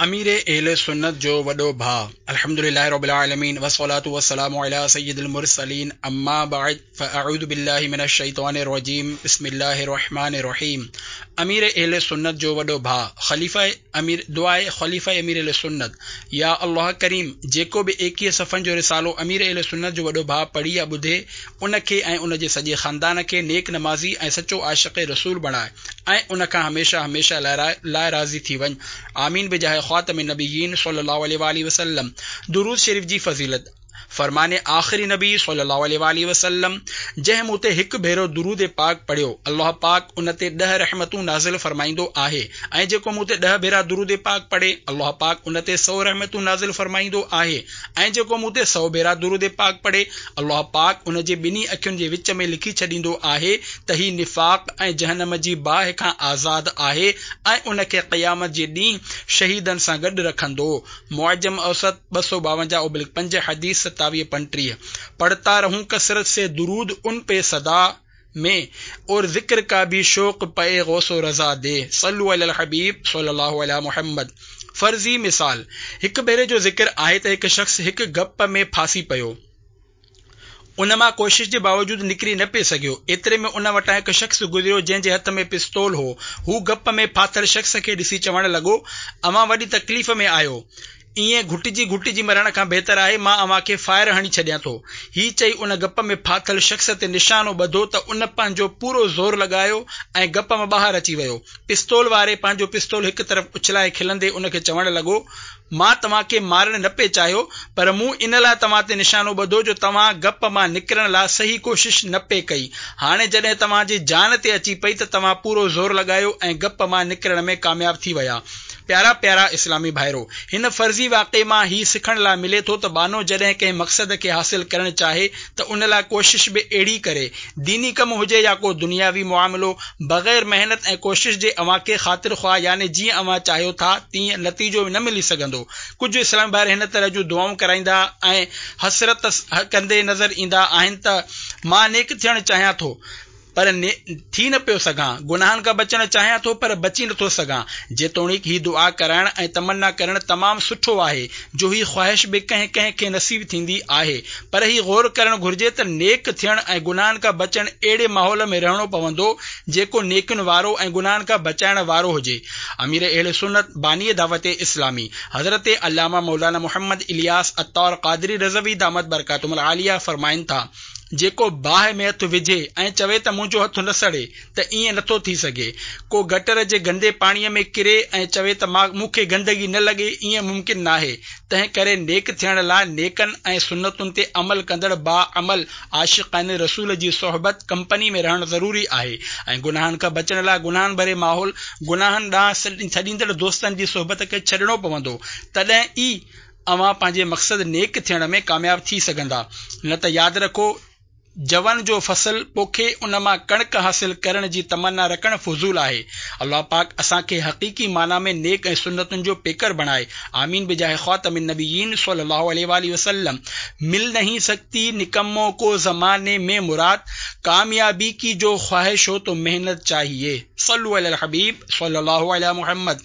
امير اهل سنت جو وڏو ڀاء الحمد لله رب العالمين والصلاة والسلام علي سيد المرسلين اما بعد فاعوذ بالله من الشيطان الرجيم بسم الله الرحمن الرحيم امير اهل سنت جو وڏو ڀاء خليفه امير دعاء خليفه امير اهل سنت يا الله ڪريم جيڪو به ايڪيهه صفحن جو رسالو امير اهل سنت جو وڏو ڀاء پڙهي يا ٻڌي ان کي ۽ ان جي سڄي خاندان کي نيڪ نمازي ۽ سچو عاشق رسول بڻاء ۽ ان کان هميشه هميشه لاء راضي ٿي وڃ آمين بجاه خاتم النبيين صلي الله عليه واٰله وسلم درود شريف جي فضيلت، فرمان آخري نبي صلي الله عليه واٰله وسلم، جنهن مون تي هڪ ڀيرو درود پاڪ پڙهيو الله پاڪ ان تي ڏهه رحمتون نازل فرمائيندو آهي ۽ جيڪو مون تي ڏهه ڀيرا درود پاڪ پڙهي الله پاڪ ان تي سو رحمتون نازل فرمائيندو آهي ۽ جيڪو مون تي سو ڀيرا درود پاڪ پڙهي الله پاڪ ان جي ٻنهي اکين جي وچ ۾ لکي ڇڏيندو آهي ته هي نفاق ۽ جهنم جي باهه کان آزاد آهي ۽ ان کي قيامت جي ڏينهن شهيدن سان گڏ رکندو. معجم اوسط، 252 ابلڪ پنج، حديث 27 35. پڙهتا رهون ڪثرت سي درود ان پي سدا مين اور ذڪر ڪا ڀي شوق پئي غوث و رضا the صلو علي الحبيب صلي الله علي محمد فرضي مثال، هڪ ڀيري جو ذڪر آهي ته هڪ شخص هڪ گپ ۾ ڦاسي پيو. ان مان ڪوشش جي باوجود نڪري نه پئي سگهيو. ايتري ۾ ان وٽان هڪ شخص گذريو جنهن جي هٿ ۾ پستول هو. هو گپ ۾ ڦاٿل شخص کي ڏسي چوڻ لڳو، اوهان وڏي تڪليف ۾ آهيو. ائين گهٽجي گهٽجي مرڻ کان بهتر آهي مان اوهان کي فائر هڻي ڇڏيان ٿو. هي چئي ان گپ ۾ ڦاٿل شخص تي نشانو ٻڌو ته ان پنهنجو پورو زور لڳايو ۽ گپ مان ٻاهر اچي ويو. پستول واري پنهنجو پستول هڪ طرف اڇلائي کلندي ان کي چوڻ لڳو، مان توهان کي مارڻ نه پئي چاهيو، پر مون ان لاء توهان تي نشانو ٻڌو جو توهان گپ مان نڪرڻ لاء صحيح ڪوشش نه پئي ڪئي. هاڻي جڏهن توهان جي جان تي اچي پئي ته توهان پورو زور لڳايو ۽ گپ مان نڪرڻ ۾ ڪامياب ٿي ويا. پيارا پيارا اسلامي ڀائرو! هن فرضي واقعي مان هي سکڻ لاء ملي ٿو ته ٻانهو جڏهن ڪنهن مقصد کي حاصل ڪرڻ چاهي ته ان لاء ڪوشش به اهڙي ڪري. ديني ڪم هجي يا ڪو دنياوي معاملو، بغير محنت ۽ ڪوشش جي اوهان کي خاطر خواه يعني جيئن اوهان چاهيو ٿا تيئن نتيجو نه ملي سگهندو. ڪجهه اسلامي ڀائر هن طرح جون دعائون ڪرائيندا ۽ حسرت ڪندي نظر ايندا آهن ته مان نيڪ ٿيڻ چاهيان ٿو پر ٿي نه پيو سگهان، گناهن کان بچڻ چاهيان ٿو پر بچي نه ٿو سگهان. جيتوڻيڪ هي دعا ڪرائڻ ۽ تمنا ڪرڻ تمام سٺو آهي جو هي خواهش به ڪنهن ڪنهن کي نصيب ٿيندي آهي پر هي غور ڪرڻ گهرجي ته نيڪ ٿيڻ ۽ گناهن کان بچڻ اهڙي ماحول ۾ رهڻو پوندو جيڪو نيڪين وارو ۽ گناهن کان بچائڻ وارو هجي. امير اهل سنت، باني دعوت اسلامي، حضرت علامه مولانا محمد الياس عطار قادري رضوي دامت برڪاتهم العاليه فرمائن ٿا، جيڪو باهه ۾ هٿ وجهي ۽ چوي ته منهنجو هٿ نه سڙي ته ائين نٿو ٿي سگهي. ڪو گٽر جي گندي پاڻيء ۾ ڪري ۽ چوي ته مون کي گندگي نه لڳي ائين ممڪن ناهي. تنهن ڪري نيڪ ٿيڻ لاء نيڪن ۽ سنتن تي عمل ڪندڙ باعمل عاشقان رسول جي صحبت، ڪمپني، ۾ رهڻ ضروري آهي ۽ گناهن کان بچڻ لاء گناهن ڀري ماحول، گناهن ڏانهن سڏيندڙ دوستن جي صحبت کي ڇڏڻو پوندو تڏهن ئي اوهان پنهنجي مقصد نيڪ ٿيڻ ۾ ڪامياب ٿي سگهندا نه ته ياد رکو جون جو فصل پوکي ان مان ڪڻڪ حاصل ڪرڻ جي تمنا رکڻ فضول آهي. الله پاڪ اسان کي حقيقي معنيٰ ۾ نيڪ ۽ سنتن جو پيڪر بڻائي. آمين بجاه خاتم النبيين صلي الله عليه واٰله وسلم مل نهين سڪتي نڪمو ڪو زماني ۾ مراد ڪاميابي ڪي جو خواهش هو تو محنت چاهيي صلو علي الحبيب صلي الله علي محمد.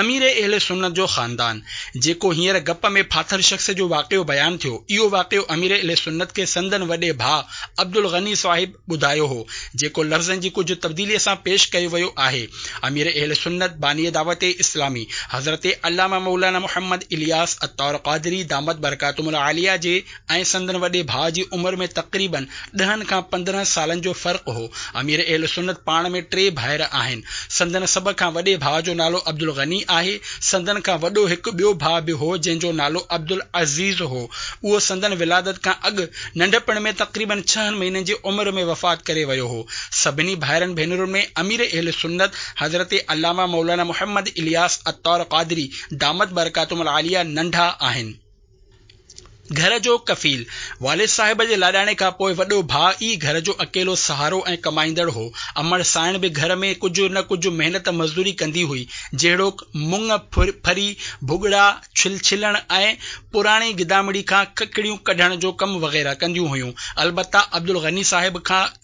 امير اهل سنت جو خاندان، جيڪو هينئر گپ ۾ ڦاٿل شخص جو واقعو بيان ٿيو، اهو واقعو امير اهل سنت کي سندن وڏي ڀاء عبدالغني صاحب ٻڌايو هو، جيڪو لفظن جي ڪجهه تبديليء سان پيش ڪيو ويو آهي. امير اهل سنت باني دعوت اسلامي حضرت علامه مولانا محمد الياس عطار قادري دامت برڪاتهم العاليه جي ۽ سندن وڏي ڀاء جي عمر ۾ تقريباً ڏهن کان 15 سالن جو فرق هو. امير اهل سنت پاڻ ۾ ٽي ڀائر آهن. سندن سڀ کان وڏي ڀاء جو نالو عبدالغني آهي. سندن کان وڏو هڪ ٻيو ڀاء به هو جنهن جو نالو عبدالعزيز هو. اهو سندن ولادت کان اڳ ننڍپڻ ۾ تقريباً ڇهن مهينن جي عمر ۾ وفات ڪري ويو هو. سڀني ڀائرن ڀينرن ۾ امير اهل سنت حضرت علامه مولانا محمد الياس عطار قادري دامت برڪاتهم العاليه ننڍا آهن. گهر جو ڪفيل، والد صاحب جي لاڏاڻي کان پوء وڏو ڀاء ئي گهر جو اڪيلو سهارو ۽ ڪمائيندڙ هو. امڙ سانئڻ به گهر ۾ ڪجهه نه ڪجهه محنت مزدوري ڪندي هئي، جهڙوڪ، مڱ ڦري، ڀڳڙا ڇلڻ ۽ پراڻي گدامڙي کان ڪڪڙيون ڪڍڻ جو ڪم وغيره ڪنديون هيون. البته عبدالغني صاحب کان.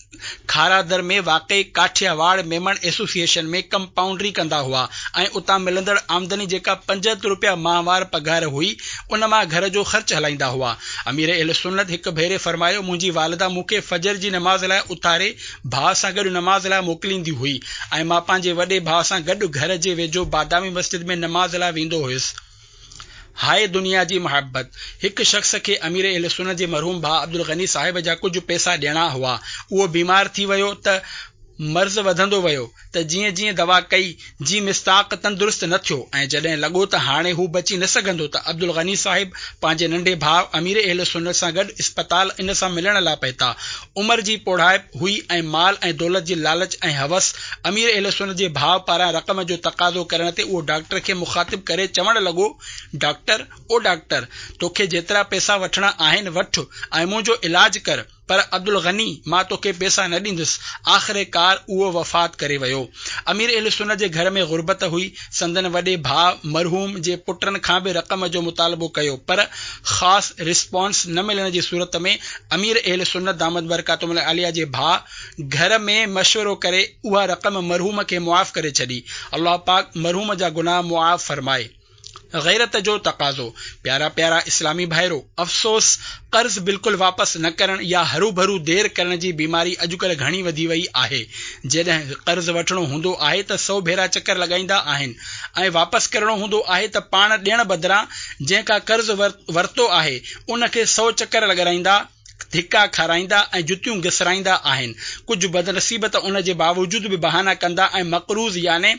کارادر ۾ واقع ڪاٺياواڙ ميمڻ ايسوسيئيشن ۾ ڪمپائونڊري ڪندا هئا ۽ اتان ملندڙ آمدني جيڪا 75 روپيا ماهوار پگهار هئي ان مان گهر جو خرچ هلائيندا هئا. امير اهلسنت هڪ ڀيري فرمايو، منهنجي والده مون کي فجر جي نماز لاء اٿاري ڀاء سان گڏ نماز لاء موڪليندي هئي ۽ مان پنهنجي وڏي ڀاء سان گڏ گهر جي ويجهو بادامي مسجد ۾ نماز لاء ويندو هيس. هاء دنيا جي محبت! هڪ شخص کي امير اهلسنت جي مرحوم ڀاء عبدالغني صاحب جا ڪجهه پئسا ڏيڻا هئا. اهو بيمار ٿي ويو ته مرض وڌندو ويو ته جيئن جيئن دوا ڪئي جي مصداق تندرست نه ٿيو ۽ جڏهن لڳو ته هاڻي هو بچي نه سگهندو ته عبدالغني صاحب پنهنجي ننڍي ڀاء امير اهلسنت سان گڏ اسپتال ان سان ملڻ لاء پهتا. عمر جي پوڙهائپ هئي ۽ مال ۽ دولت جي لالچ ۽ هوس امير اهل سنت جي ڀاء پاران رقم جو تقاضو ڪرڻ تي اهو ڊاڪٽر کي مخاطب ڪري چوڻ لڳو، ڊاڪٽر، او ڊاڪٽر! توکي جيترا پئسا وٺڻا آهن وٺ ۽ منهنجو علاج ڪر، پر عبدالغني مان توکي پئسا نه ڏيندس. آخرڪار اهو وفات ڪري ويو. امير اهل سنت جي گهر ۾ غربت هئي، سندن وڏي ڀاء مرحوم جي پٽن کان به رقم جو مطالبو ڪيو پر خاص رسپانس نه ملڻ جي صورت ۾ امير اهل سنت دامت برڪاتهم العاليه جي ڀاء گهر ۾ مشورو ڪري اها رقم مرحوم کي معاف ڪري ڇڏي. الله پاڪ مرحوم جا گناهه معاف فرمائي. غيرت جو تقاضو. پيارا پيارا اسلامي ڀائرو! افسوس! قرض بلڪل واپس نه ڪرڻ يا هروڀرو دير ڪرڻ جي بيماري اڄڪلهه گهڻي وڌي وئي آهي. جڏهن قرض وٺڻو هوندو آهي ته سئو ڀيرا چڪر لڳائيندا آهن ۽ واپس ڪرڻو هوندو آهي ته پاڻ ڏيڻ بدران جنهن کان قرض ورتو آهي ان کي سئو چڪر لڳرائيندا ڌڪا کارائيندا ۽ جتيون گسرائيندا آهن. ڪجهه بدنصيب ته ان جي باوجود به بهانا ڪندا ۽ مقروض يعني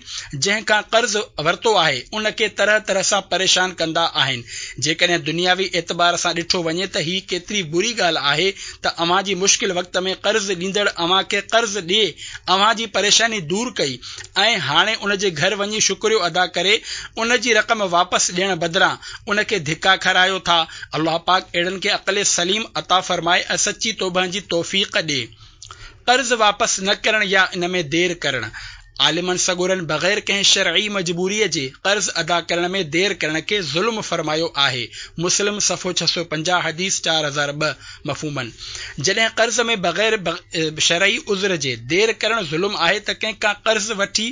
جنهن کان قرض ورتو آهي، ان کي طرح طرح سان پريشان ڪندا آهن. جيڪڏهن دنياوي اعتبار سان ڏٺو وڃي ته هي ڪيتري بري ڳالهه آهي ته اوهان جي مشڪل وقت ۾ قرض ڏيندڙ اوهان کي قرض ڏئي اوهان جي پريشاني دور ڪئي ۽ هاڻي ان جي گهر وڃي شڪريو ادا ڪري ان جي رقم واپس ڏيڻ بدران ان کي ڌڪا کارايو ٿا. الله پاڪ اهڙن کي عقل سليم عطا فرمائي ۽ سچي توبه جي توفيق ڏي. قرض واپس نه ڪرڻ يا ان ۾ دير ڪرڻ. عالمن سڳورن بغير ڪنهن شرعي مجبوريء جي قرض ادا ڪرڻ ۾ دير ڪرڻ کي ظلم فرمايو آهي، مسلم صفحو 650 حديث 4002، مفهوماً جڏهن قرض ۾ بغير شرعي عذر جي دير ڪرڻ ظلم آهي ته ڪنهن کان قرض وٺي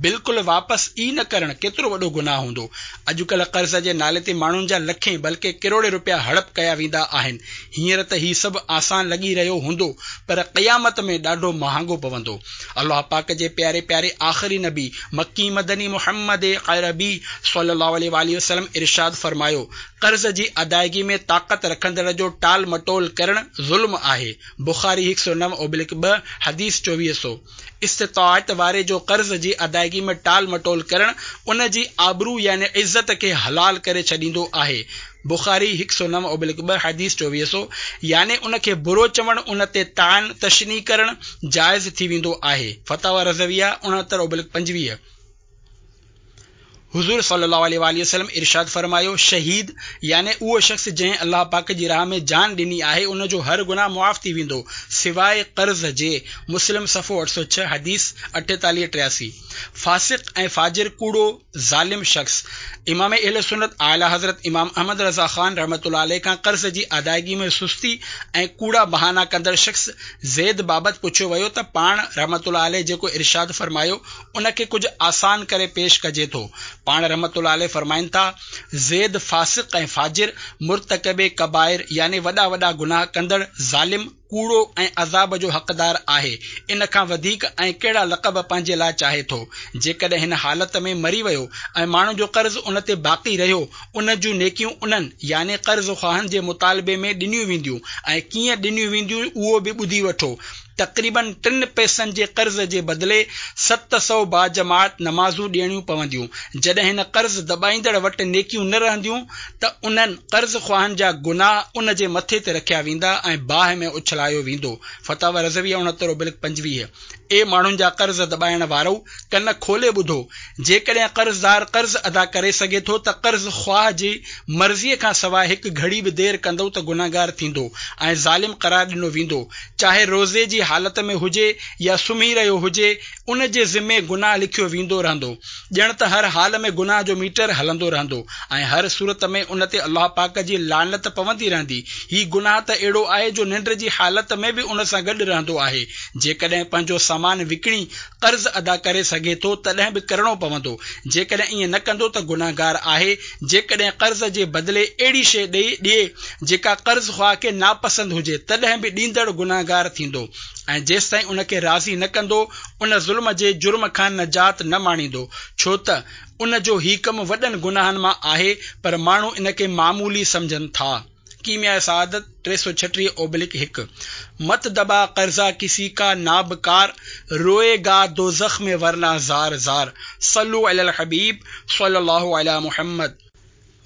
بلڪل واپس ئي نه ڪرڻ ڪيترو وڏو گناهه هوندو. اڄڪلهه قرض جي نالي تي ماڻهن جا لکين بلڪه ڪروڙين روپيا هڙپ ڪيا ويندا آهن. هينئر ته هي سڀ آسان لڳي رهيو هوندو پر قيامت ۾ ڏاڍو مهانگو پوندو. الله پاڪ جي پياري پياري آخري نبي مڪي مدني محمد عربي صلي الله عليه واٰله وسلم ارشاد فرمايو، قرض جي ادائگي ۾ طاقت رکندڙ جو ٽال مٽول ڪرڻ ظلم آهي. بخاري هڪ سؤ 9/2 حديث چوويهه سؤ. استطاعت واري جو قرض جي ادائگي ۾ ٽال مٽول ڪرڻ ان جي آبرو يعني عزت کي حلال ڪري ڇڏيندو آهي. بخاري هڪ سؤ 9/2 حديث چوويهه سؤ، يعني ان کي برو چوڻ ان تي طعن تشنيع ڪرڻ جائز ٿي ويندو آهي. فتاويٰ رضويه 69/25. حضور صلي الله عليه واٰله وسلم ارشاد فرمايو، شهيد، يعني اهو شخص جنهن الله پاڪ جي راهه ۾ جان ڏني آهي ان جو هر گناهه معاف ٿي ويندو سواء قرض جي، مسلم صفحو 806 حديث 48 83. فاسق ۽ فاجر ڪوڙو ظالم شخص، امام اهل سنت اعليٰ حضرت امام احمد رضا خان رحمة الله عليه کان قرض جي ادائگي ۾ سستي ۽ ڪوڙا بهانا ڪندڙ شخص زيد بابت پڇيو ويو ته پاڻ رحمة الله عليه جيڪو ارشاد فرمايو ان کي ڪجهه آسان ڪري پيش ڪجي ٿو. پاڻ رحمة الله عليه فرمائن ٿا، زيد فاسق ۽ فاجر، مرتڪب ڪبائر يعني وڏا وڏا گناهه ڪندڙ، ظالم، ڪوڙو ۽ عذاب جو حقدار آهي، ان کان وڌيڪ ۽ ڪهڙا لقب پنهنجي لاء چاهي ٿو؟ جيڪڏهن هن حالت ۾ مري ويو ۽ ماڻهن جو قرض ان تي باقي رهيو، ان جون نيڪيون انهن، يعني قرض خواهن، جي مطالبي ۾ ڏنيون وينديون ۽ ڪيئن ڏنيون وينديون اهو به ٻڌي وٺو، تقريباً ٽن پئسن جي قرض جي بدلي 700 باجماعت نمازون ڏيڻيون پونديون. جڏهن هن قرض دٻائيندڙ وٽ نيڪيون نه رهنديون ته انهن قرض خواهن جا گناهه ان جي مٿي تي رکيا ويندا ۽ باهه ۾ اڇلايو ويندو. فتاويٰ رضويه 69/25. اي ماڻهن جا قرض دٻائڻ وارؤ! ڪن کولي ٻڌو! جيڪڏهن قرضدار قرض ادا ڪري سگهي ٿو ته قرض خواهه جي مرضيء کان سواء هڪ گهڙي به دير ڪندؤ ته گنهگار ٿيندو ۽ ظالم قرار ڏنو ويندو. چاهي روزي جي حالت ۾ هجي يا سمهي رهيو هجي، ان جي ذمي گناهه لکيو ويندو رهندو. ڄڻ ته هر حال ۾ گناهه جو ميٽر هلندو رهندو ۽ هر صورت ۾ ان تي الله پاڪ جي لعنت پوندي رهندي. هي گناهه ته اهڙو آهي جو ننڊ جي حالت ۾ به ان سان گڏ رهندو آهي. جيڪڏهن پنهنجو سامان وڪڻي قرض ادا ڪري سگهي ٿو تڏهن به ڪرڻو پوندو، جيڪڏهن ائين نه ڪندو ته گنهگار آهي، جيڪڏهن قرض جي بدلي اهڙي شيء ڏئي ڏئي جيڪا قرض خواه کي ناپسند هجي تڏهن به ڏيندڙ گنهگار ٿيندو ۽ جيستائين ان کي راضي نه ڪندو ان ظلم جي جرم کان نجات نه ماڻيندو ڇو ته ان جو هي ڪم وڏن گناهن مان آهي پر ماڻهو ان کي معمولي سمجهن ٿا. ڪيمياء سعادت 336 اوبلڪ 1 مت دبا قرضه ڪسي ڪا ناب ڪار روئي گا دوزخ ۾ ورنه زار زار صلو علي الحبيب صلي الله علي محمد.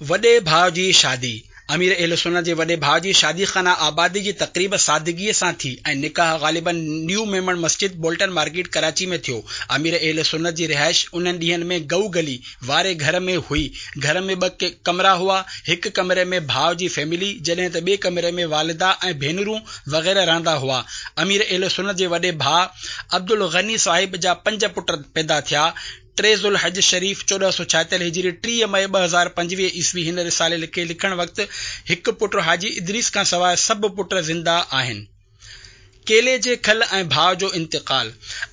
وڏي ڀاء جي شادي، امير اهل سنت جي وڏي ڀاء جي شادي خانه آبادي جي تقريب سادگيء سان ٿي ۽ نڪاح غالباً نيو ميمڻ مسجد بولٽن مارڪيٽ ڪراچي ۾ ٿيو. امير اهل سنت جي رهائش انهن ڏينهن ۾ گئو گلي واري گهر ۾ هئي. گهر ۾ ٻه ڪمرا هئا، هڪ ڪمري ۾ ڀاء جي فيملي، جڏهن ته ٻئي ڪمري ۾ والده ۽ ڀينرون وغيره رهندا هئا. امير اهل سنت جي وڏي ڀاء عبدالغني صاحب جا پنج پٽ پيدا ٿيا. ٽي ذوالحج شريف 1476 هجري 30 مئي 2025 عيسوي هن رسالي کي لکڻ وقت هڪ پٽ حاجي ادريس کان سواء سڀ پٽ زنده آهن. ڪيلي جي کل ۽ ڀاء جو انتقال.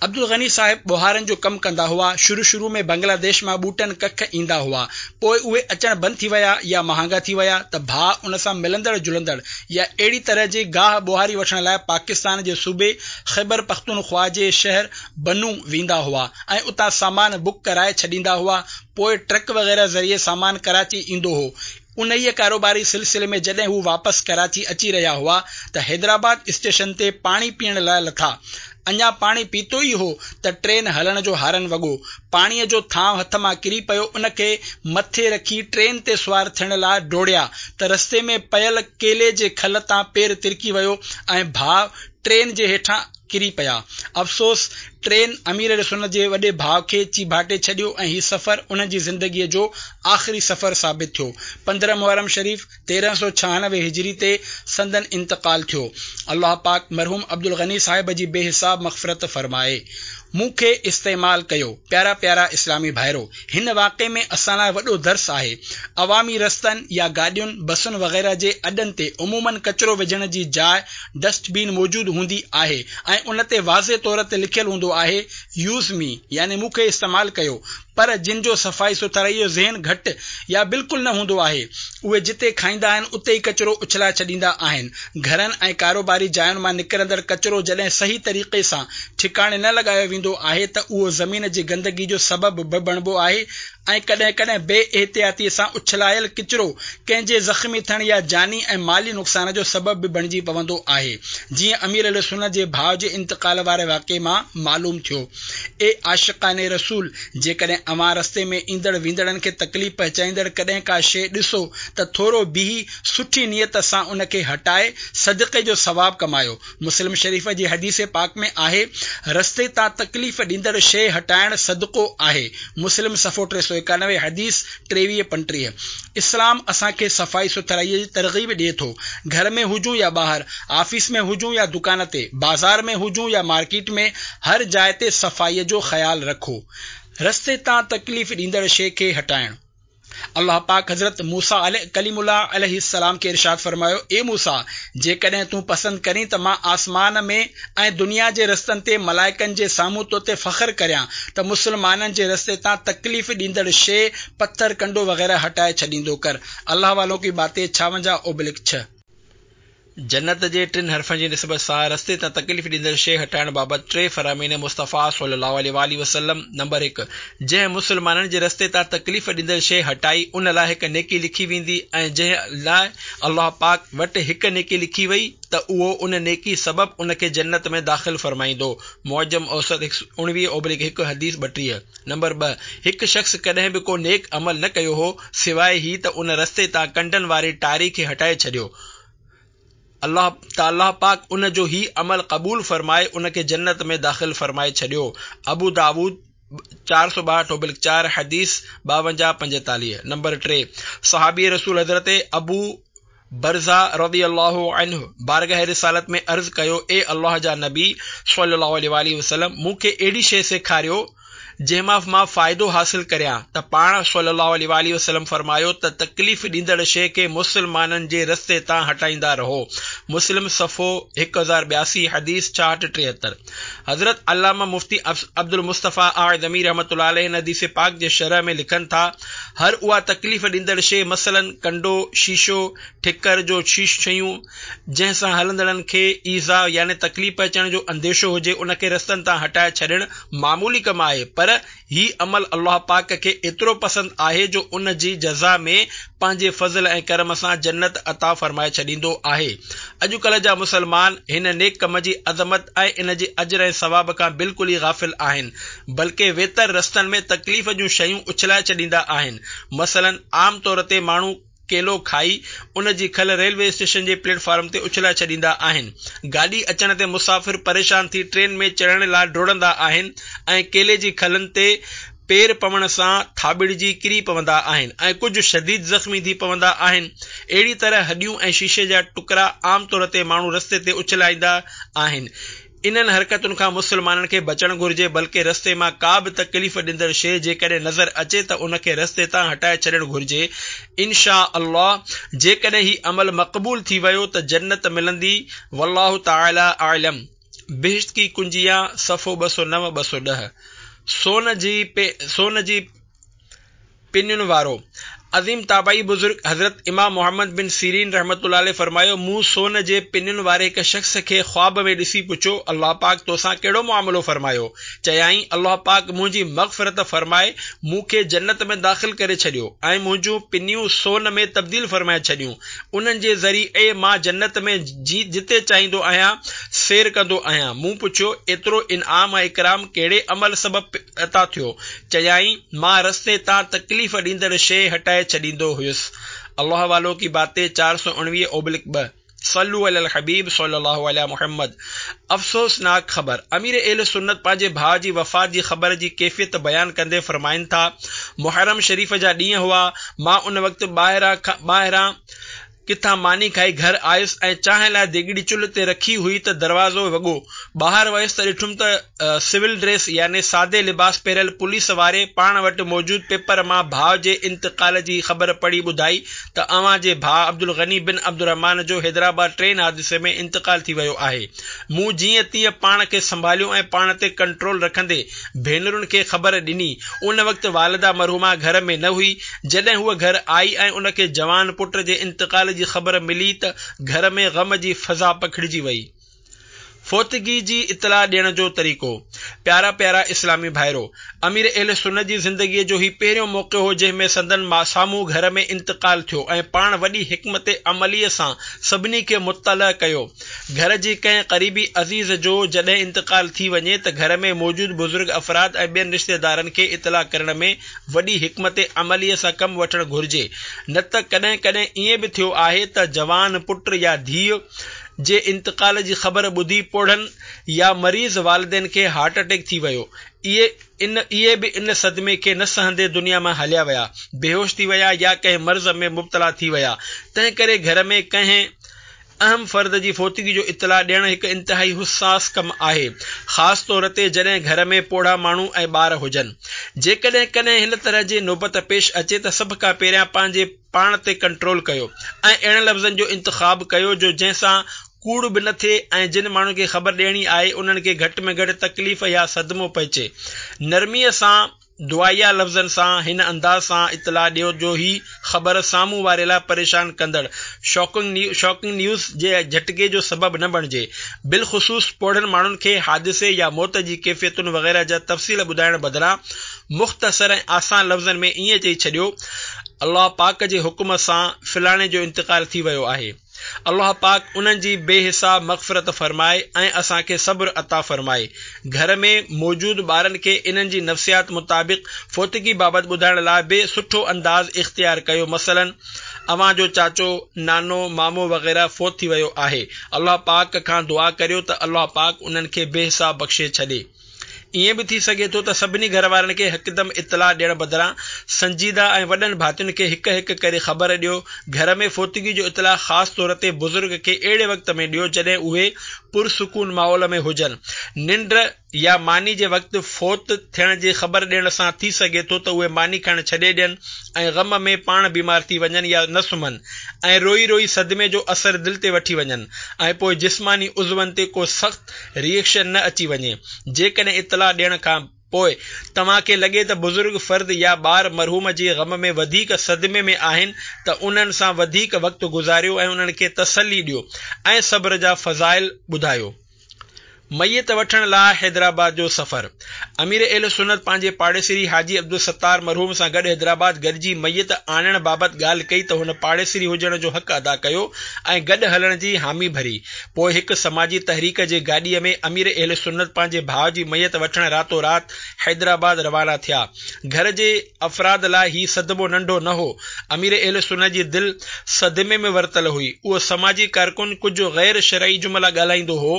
عبدالغني صاحب ٻوهارن جو ڪم ڪندا هئا. شروع شروع ۾ بنگلاديش مان ٻوٽن ڪک ايندا هئا. پوء اهي اچڻ بند ٿي ويا يا مهانگا ٿي ويا ته ڀاء ان سان ملندڙ جلندڙ يا اهڙي طرح جي گاهه ٻوهاري وٺڻ لاء پاڪستان جي صوبي خيبرپختونخوا جي شهر بنو ويندا هئا ۽ اتان سامان بڪ ڪرائي ڇڏيندا هئا. پوء ٽرڪ وغيره ذريعي سامان ڪراچي ايندو هو. انهيء ڪاروباري سلسلي ۾ جڏهن هو واپس ڪراچي اچي رهيا هئا ته حيدرآباد اسٽيشن تي پاڻي پيئڻ لاء لٿا. اڃا پاڻي پيتو ئي هو ته ٽرين هلڻ جو هارن وڳو. پاڻيء جو ٿانء هٿ مان ڪري پيو ان کي مٿي رکي ٽرين تي سوار ٿيڻ لاء ڊوڙيا ته رستي ۾ پيل ڪيلي جي کل تان پير ترڪي ويو ۽ ڀاء ٽرين جي هيٺان ڪري پيا. افسوس! ٽرين امير اهلسنت جي وڏي ڀاء کي چيڀاٽي ڇڏيو ۽ هي سفر انهن جي زندگيء جو آخري سفر ثابت ٿيو. 15 محرم شريف 1396 هجري تي سندن انتقال ٿيو. الله پاڪ مرحوم عبدالغني صاحب جي بي حساب مغفرت فرمائي. مون کي استعمال ڪيو. پيارا پيارا اسلامي ڀائرو! هن واقعي ۾ اسان لاء وڏو درس آهي. عوامي رستن يا گاڏين، بسن وغيره جي اڏن تي عموماً ڪچرو وجهڻ جي جاء ڊسٽ بين موجود هوندي آهي ۽ ان تي واضح طور تي لکيل هوندو آهي Use Me يعني مون کي استعمال ڪيو پر جن جو صفائي سٿرائي جو ذهن گهٽ يا بلڪل نه هوندو آهي اهي جتي کائيندا آهن اتي ئي ڪچرو اڇلائي ڇڏيندا آهن گهرن ۽ ڪاروباري جاين مان نڪرندڙ ڪچرو جڏهن صحيح طريقي سان ٺڪاڻي نه لڳايو ويندو آهي ته اهو زمين جي گندگي جو سبب به بڻبو آهي ۽ ڪڏهن ڪڏهن بي احتياطيء سان اڇلايل ڪچرو ڪنهن جي زخمي ٿيڻ يا جاني ۽ مالي نقصان جو سبب به بڻجي پوندو آهي، جيئن امير اهلسنت جي ڀاء جي انتقال واري واقعي مان معلوم ٿيو. اي عاشقان رسول! جيڪڏهن اوهان رستي ۾ ايندڙ ويندڙن کي تڪليف پهچائيندڙ ڪڏهن ڪا شيء ڏسو ته ٿورو بيهي سٺي نيت سان ان کي هٽائي صدقي جو ثواب ڪمايو. مسلم شريف جي حديث پاڪ ۾ آهي، رستي تان تڪليف ڏيندڙ شيء هٽائڻ صدقو آهي، مسلم صفحو 391 حديث 23 35. اسلام اسان کي صفائي سٿرائيء جي ترغيب ڏئي ٿو. گهر ۾ هجون يا ٻاهر، آفيس ۾ هجون يا دڪان تي، بازار ۾ هجون يا مارڪيٽ ۾ هر جاء تي صفائيء جو خيال رکو. رستي تان تڪليف ڏيندڙ شيء کي هٽائڻ. الله پاڪ حضرت موسيٰ ڪليم الله عليه السلام کي ارشاد فرمايو، اي موسيٰ! جيڪڏهن تون پسند ڪرين ته مان آسمان ۾ ۽ دنيا جي رستن تي ملائڪن جي سامهون تو تي فخر ڪريان ته مسلمانن جي رستي تان تڪليف ڏيندڙ شيء، پٿر، ڪنڊو وغيره هٽائي ڇڏيندو ڪر. الله والون ڪي باتين 56 اوبلڪ 6. جنت جي ٽن حرفن جي نسبت سان رستي تان تڪليف ڏيندڙ شيء هٽائڻ بابت ٽي فرامين مصطفيٰ صلي الله عليه واٰله وسلم، نمبر هڪ، جنهن مسلمانن جي رستي تان تڪليف ڏيندڙ شيء هٽائي ان لاء هڪ نيڪي لکي ويندي ۽ جنهن لاء الله پاڪ وٽ هڪ نيڪي لکي وئي ته اهو ان نيڪي سبب ان کي جنت ۾ داخل فرمائيندو، معجم اوسط 19 اوبليڪ هڪ حديث 32. نمبر ٻه، هڪ شخص ڪڏهن به ڪو نيڪ عمل نه ڪيو هو سواء هي ته ان رستي تان ڪنڊن واري ٽاري کي هٽائي ڇڏيو. الله ته الله پاڪ ان جو هي عمل قبول فرمائي ان کي جنت ۾ داخل فرمائي ڇڏيو. ابو داؤد 462 اوبلڪ 4 حديث 52 45. نمبر ٽي، صحابي رسول حضرت ابو. برزه رضي الله عنه بارگاھ رسالت ۾ عرض ڪيو، اي الله جا نبي صلّي الله عليه واٰله وسلّم! مون کي اهڙي شيء سيکاريو جنهن مان مان فائدو حاصل ڪريان ته پاڻ صلّي الله عليه واٰله وسلّم فرمايو ته تڪليف ڏيندڙ شيء کي مسلمانن جي رستي تان هٽائيندا رهو مسلم صفحو 1082 حديث 66 73 حضرت علامه مفتي عبدالمصطفيٰ اعظمي رحمة الله عليه هن حديث پاڪ جي شرح ۾ لکن ٿا، هر اها تڪليف ڏيندڙ شيء مثلاً ڪنڊو، شيشو، ٺڪر جو شيون، جنهن سان هلندڙن کي ايذاء يعني تڪليف پهچڻ جو انديشو هجي ان کي رستن تان هٽائي ڇڏڻ معمولي ڪم آهي پر هي عمل الله پاڪ کي ايترو پسند آهي جو ان جي جزا ۾ پنهنجي فضل ۽ ڪرم سان جنت عطا فرمائي ڇڏيندو آهي. اڄڪلهه جا مسلمان هن نيڪ ڪم جي عظمت ۽ ان جي اجر ۽ ثواب کان بلڪل ئي غافل آهن بلڪه ويتر رستن ۾ تڪليف جون شيون اڇلائي ڇڏيندا آهن مثلاً عام طور تي ماڻهو ڪيلو کائي ان جي کل ريلوي اسٽيشن جي پليٽ فارم تي اڇلائي ڇڏيندا آهن. گاڏي اچڻ تي مسافر پريشان ٿي ٽرين ۾ چڙهڻ لاء ڊوڙندا آهن ۽ ڪيلي جي کلن تي پير پوڻ سان ٿاٻڙجي ڪري پوندا آهن ۽ ڪجهه شديد زخمي ٿي پوندا آهن. اهڙي طرح هڏيون ۽ شيشي جا ٽڪرا عام طور تي ماڻهو رستي تي اڇلائيندا آهن. انهن حرڪتن کان مسلمانن کي بچڻ گهرجي بلڪه رستي مان ڪا به تڪليف ڏيندڙ شيء جيڪڏهن نظر اچي ته ان کي رستي تان هٽائي ڇڏڻ گهرجي ان شاء الله جيڪڏهن هي عمل مقبول ٿي ويو ته جنت ملندي والله تعالي اعلم بهشت ڪي ڪنجيان صفحو 209 210 سون جي سون جي پنين وارو عظيم تابعي بزرگ حضرت امام محمد بن سيرين رحمة الله عليه فرمايو، مون سون جي پنين واري هڪ شخص کي خواب ۾ ڏسي پڇيو، الله پاڪ توسان ڪهڙو معاملو فرمايو؟ چيائين، الله پاڪ منهنجي مغفرت فرمائي مون کي جنت ۾ داخل ڪري ڇڏيو ۽ منهنجون پنيون سون ۾ تبديل فرمائي ڇڏيون، انهن جي ذريعي مان جنت ۾ جتي چاهيندو آهيان سير ڪندو آهيان. مون پڇيو، ايترو انعام ۽ اڪرام ڪهڙي عمل سبب عطا ٿيو؟ چيائين، مان رستي تان تڪليف ڏيندڙ شيء هٽائي ڇڏيندو هيس. الله والو ڪي باتين 419/2 صلو علي الحبيب صلي الله علي محمد افسوسناڪ خبر امير اهل سنت پنهنجي ڀاء جي وفات جي خبر جي ڪيفيت بيان ڪندي فرمائن ٿا، محرم شريف جا ڏينهن هئا، مان ان وقت ٻاهران ڪٿان ماني کائي گهر آيس ۽ چانهه لاء ديڳڙي چلهه تي رکي هئي ته دروازو وڳو. ٻاهر ويس ته ڏٺم ته سول ڊريس يعني سادي لباس پهريل پوليس واري پاڻ وٽ موجود پيپر مان ڀاء جي انتقال جي خبر پڙهي ٻڌائي ته اوهان جي ڀاء عبدالغني بن عبدالرحمان جو حيدرآباد ٽرين حادثي ۾ انتقال ٿي ويو آهي. مون جيئن تيئن پاڻ کي سنڀاليو ۽ پاڻ تي ڪنٽرول رکندي ڀينرن کي خبر ڏني. ان وقت والده مرحومه گهر ۾ نه هئي. جڏهن هوء گهر آئي ۽ ان کي جوان پٽ جي انتقال جي خبر ملي ته گهر ۾ غم جي فضا پکڙجي وئي. فوتگي جي اطلاع ڏيڻ جو طريقو. پيارا پيارا اسلامي ڀائرو! امير اهل سنت جي زندگيء جو هي پهريون موقعو هو جنهن ۾ سندن سامهون گهر ۾ انتقال ٿيو ۽ پاڻ وڏي حڪمت عمليء سان سڀني کي مطلع ڪيو. گهر جي ڪنهن قريبي عزيز جو جڏهن انتقال ٿي وڃي ته گهر ۾ موجود بزرگ افراد ۽ ٻين رشتيدارن کي اطلاع ڪرڻ ۾ وڏي حڪمت عمليء سان ڪم وٺڻ گهرجي نه ته ڪڏهن ڪڏهن ائين به ٿيو آهي ته جوان پٽ يا ڌيء جي انتقال جي خبر ٻڌي پوڙهن يا مريض والدين کي هارٽ اٽيڪ ٿي ويو اهي به ان صدمي کي نه سهندي دنيا مان هليا ويا، بيهوش ٿي ويا يا ڪنهن مرض ۾ مبتلا ٿي ويا تنهنڪري گهر ۾ ڪنهن اهم فرد جي فوتگي جو اطلاع ڏيڻ هڪ انتهائي حساس ڪم آهي، خاص طور تي جڏهن گهر ۾ پوڙها ماڻهو ۽ ٻار هجن. جيڪڏهن ڪڏهن هن طرح جي نوبت پيش اچي ته سڀ کان پهريان پنهنجي پاڻ تي ڪنٽرول ڪيو ۽ اهڙن لفظن جو انتخاب ڪيو جو جنهن سان ڪوڙ به نه ٿئي ۽ جن ماڻهن کي خبر ڏيڻي آهي انهن کي گهٽ ۾ گهٽ تڪليف يا صدمو پهچي. نرميء سان دعائيه لفظن سان هن انداز سان اطلاع ڏيو جو هي خبر سامهون واري لاء پريشان ڪندڙ Shocking News جي جهٽڪي جو سبب نه بڻجي. بالخصوص پوڙهن ماڻهن کي حادثي يا موت جي ڪيفيتن وغيره جا تفصيل ٻڌائڻ بدران مختصر ۽ آسان لفظن ۾ ائين چئي ڇڏيو الله پاڪ جي حڪم سان فلاڻي جو انتقال ٿي ويو آهي. الله پاڪ انهن جي بي حساب مغفرت فرمائي ۽ اسان کي صبر عطا فرمائي. گهر ۾ موجود ٻارن کي انهن جي نفسيات مطابق فوتگي بابت ٻڌائڻ لاء به سٺو انداز اختيار ڪيو مثلاً اوهان جو چاچو، نانو، مامو وغيره فوت ٿي ويو آهي الله پاڪ کان دعا ڪريو ته الله پاڪ انهن کي بي حساب بخشي ڇڏي. ائين به ٿي سگهي ٿو ته سڀني گهر وارن کي هڪدم اطلاع ڏيڻ بدران سنجيده ۽ وڏن ڀاتين کي هڪ هڪ ڪري خبر ڏيو. گهر ۾ فوتگي جو اطلاع خاص طور تي بزرگ کي اهڙي وقت ۾ ڏيو جڏهن اهي پرسڪون ماحول ۾ هجن. ننڊ يا ماني جي وقت فوت ٿيڻ جي خبر ڏيڻ سان ٿي سگهي ٿو ته اهي ماني کائڻ ڇڏي ڏين ۽ غم ۾ پاڻ بيمار ٿي وڃن يا نه سمهن ۽ روئي روئي صدمي جو اثر دل تي وٺي وڃن ۽ پوء جسماني عضون تي ڪو سخت ريئڪشن نه اچي وڃي. جيڪڏهن اطلاع ڏيڻ کان پوء توهان کي لڳي ته بزرگ فرد يا ٻار مرحوم جي غم ۾ وڌيڪ صدمي ۾ آهن ته انهن سان وڌيڪ وقت گذاريو ۽ انهن کي تسلي ڏيو ۽ صبر جا فضائل ٻڌايو. ميت وٺڻ لاء حيدرآباد جو سفر. امير اهل سنت پنهنجي پاڙيسري حاجي عبدالستار مرحوم سان گڏ حيدرآباد گڏجي ميت آڻڻ بابت ڳالهه ڪئي ته هن پاڙيسري هجڻ جو حق ادا ڪيو ۽ گڏ هلڻ جي حامي ڀري. پوء هڪ سماجي تحريڪ جي گاڏيء ۾ امير اهل سنت پنهنجي ڀاء جي ميت وٺڻ راتو رات حيدرآباد روانا ٿيا. گهر جي افراد لاء هي صدمو ننڍو نه هو. امير اهل سنت جي دل صدمي ۾ ورتل هئي. اهو سماجي ڪارڪن ڪجهه غير شرعي جملا ڳالهائيندو هو.